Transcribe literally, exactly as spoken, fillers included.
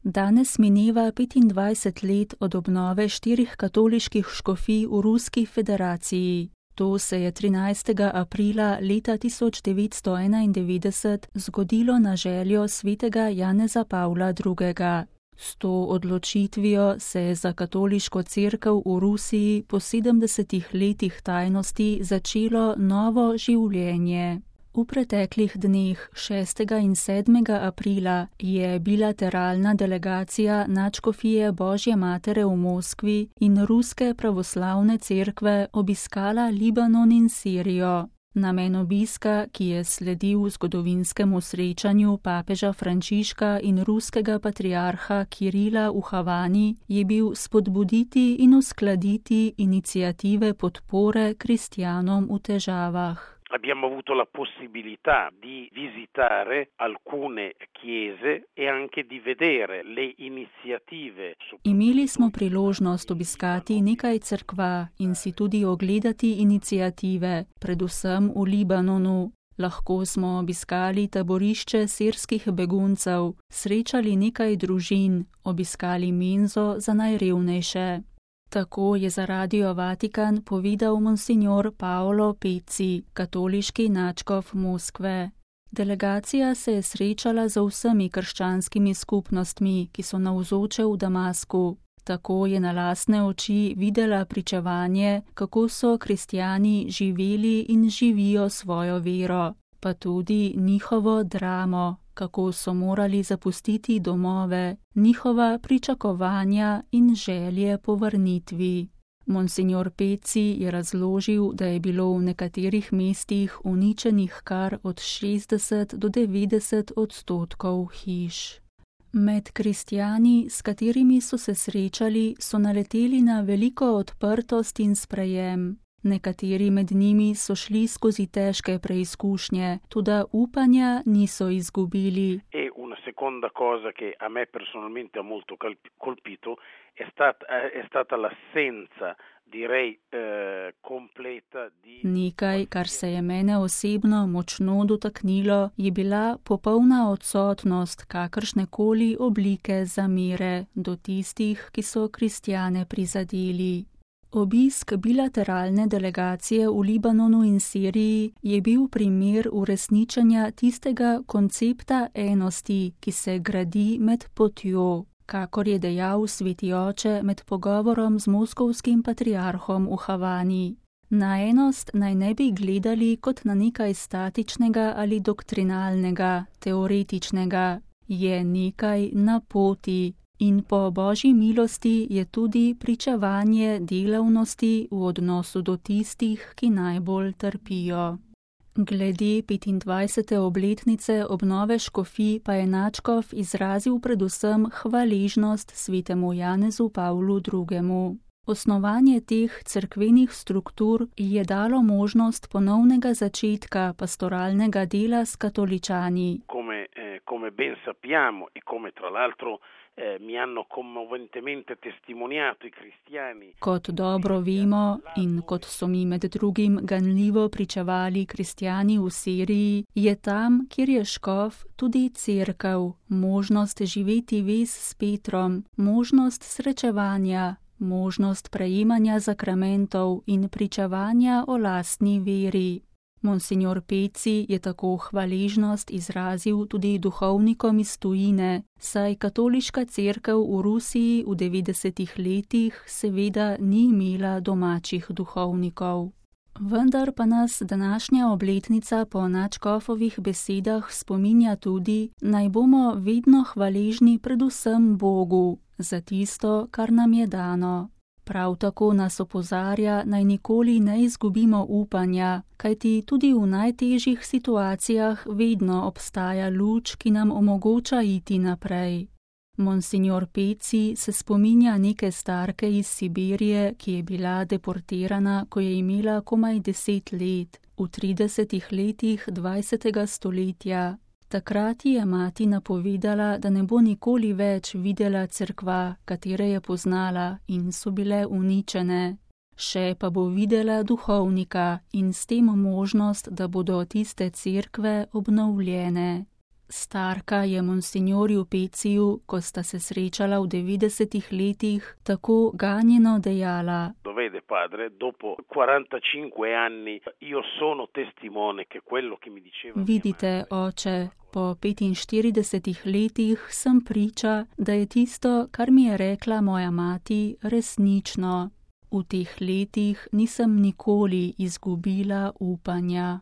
Danes mineva petindvajset let od obnove štirih katoliških škofij v Ruski federaciji. To se je trinajstega aprila leta tisoč devetsto enaindevetdeset zgodilo na željo svetega Janeza Pavla drugega. S to odločitvijo se je za katoliško cerkev v Rusiji po sedemdesetih letih tajnosti začelo novo življenje. V preteklih dneh šestega in sedmega aprila je bilateralna delegacija nadškofije Božje matere v Moskvi in Ruske pravoslavne cerkve obiskala Libanon in Sirijo. Namen obiska, ki je sledil zgodovinskemu srečanju papeža Frančiška in ruskega patriarha Kirila v Havani, je bil spodbuditi in uskladiti iniciative podpore kristjanom v težavah. Abbiamo avuto la possibilità di visitare alcune chiese e anche di vedere le iniziative. Imeli smo priložnost obiskati nekaj cerkva in si tudi ogledati iniciative, predvsem v Libanonu. Lahko smo obiskali taborišče sirskih beguncev, srečali nekaj družin, obiskali menzo za najrevnejše. Tako je za Radio Vatikan povedal monsignor Paolo Pezzi, katoliški nadškof Moskve. Delegacija se je srečala z vsemi krščanskimi skupnostmi, ki so navzoče v Damasku. Tako je na lastne oči videla pričevanje, kako so kristjani živeli in živijo svojo vero, pa tudi njihovo dramo, kako so morali zapustiti domove, njihova pričakovanja in želje po vrnitvi. Monsignor Pezzi je razložil, da je bilo v nekaterih mestih uničenih kar od šestdeset do devetdeset odstotkov hiš. Med kristjani, s katerimi so se srečali, so naleteli na veliko odprtost in sprejem. Nekateri med njimi so šli skozi težke preizkušnje, toda upanja niso izgubili. E una seconda cosa che a me personalmente ha molto colpito è stata, è stata l'assenza, direi, eh, completa di... Nekaj, kar se je mene osebno močno dotaknilo, je bila popolna odsotnost kakršnekoli oblike zamere do tistih, ki so kristjane prizadeli. Obisk bilateralne delegacije v Libanonu in Siriji je bil primer uresničenja tistega koncepta enosti, ki se gradi med potjo, kakor je dejal sveti oče med pogovorom z moskovskim patriarhom v Havani. Na enost naj ne bi gledali kot na nekaj statičnega ali doktrinalnega, teoretičnega. Je nekaj na poti. In po Božji milosti je tudi pričevanje delavnosti v odnosu do tistih, ki najbolj trpijo. Glede petindvajsete obletnice obnove škofij pa je nadškof izrazil predvsem hvaležnost svetemu Janezu Pavlu drugemu. Osnovanje teh cerkvenih struktur je dalo možnost ponovnega začetka pastoralnega dela s katoličani. Come, eh, come ben sappiamo e come tra l'altro mi hanno commoventemente testimoniato i cristiani. Kot dobro vemo in kot so mi med drugim ganljivo pričevali kristjani v Siriji, je tam, kjer je škof, tudi cerkev, možnost živeti vez s Petrom, možnost srečevanja, možnost prejemanja zakramentov in pričevanja o lastni veri. Monsignor Pezzi je tako hvaležnost izrazil tudi duhovnikom iz tujine, saj katoliška cerkev v Rusiji v devetdesetih letih seveda ni imela domačih duhovnikov. Vendar pa nas današnja obletnica po nadškofovih besedah spominja tudi, naj bomo vedno hvaležni predvsem Bogu za tisto, kar nam je dano. Prav tako nas opozarja, naj nikoli ne izgubimo upanja, kajti tudi v najtežjih situacijah vedno obstaja luč, ki nam omogoča iti naprej. Monsignor Pezzi se spominja neke starke iz Sibirije, ki je bila deportirana, ko je imela komaj deset let, v tridesetih letih dvajsetega stoletja. Takrat je mati napovedala, da ne bo nikoli več videla cerkva, katere je poznala in so bile uničene. Še pa bo videla duhovnika in s tem možnost, da bodo tiste cerkve obnovljene. Starka je monsignorju Peciju, ko sta se srečala v devetdesetih letih, tako ganjeno dejala: Lo vede padre, dopo quarantacinque anni io sono testimone che quello che mi diceva. Vidite, oče, po petinštiridesetih letih sem priča, da je tisto, kar mi je rekla moja mati, resnično. V teh letih nisem nikoli izgubila upanja.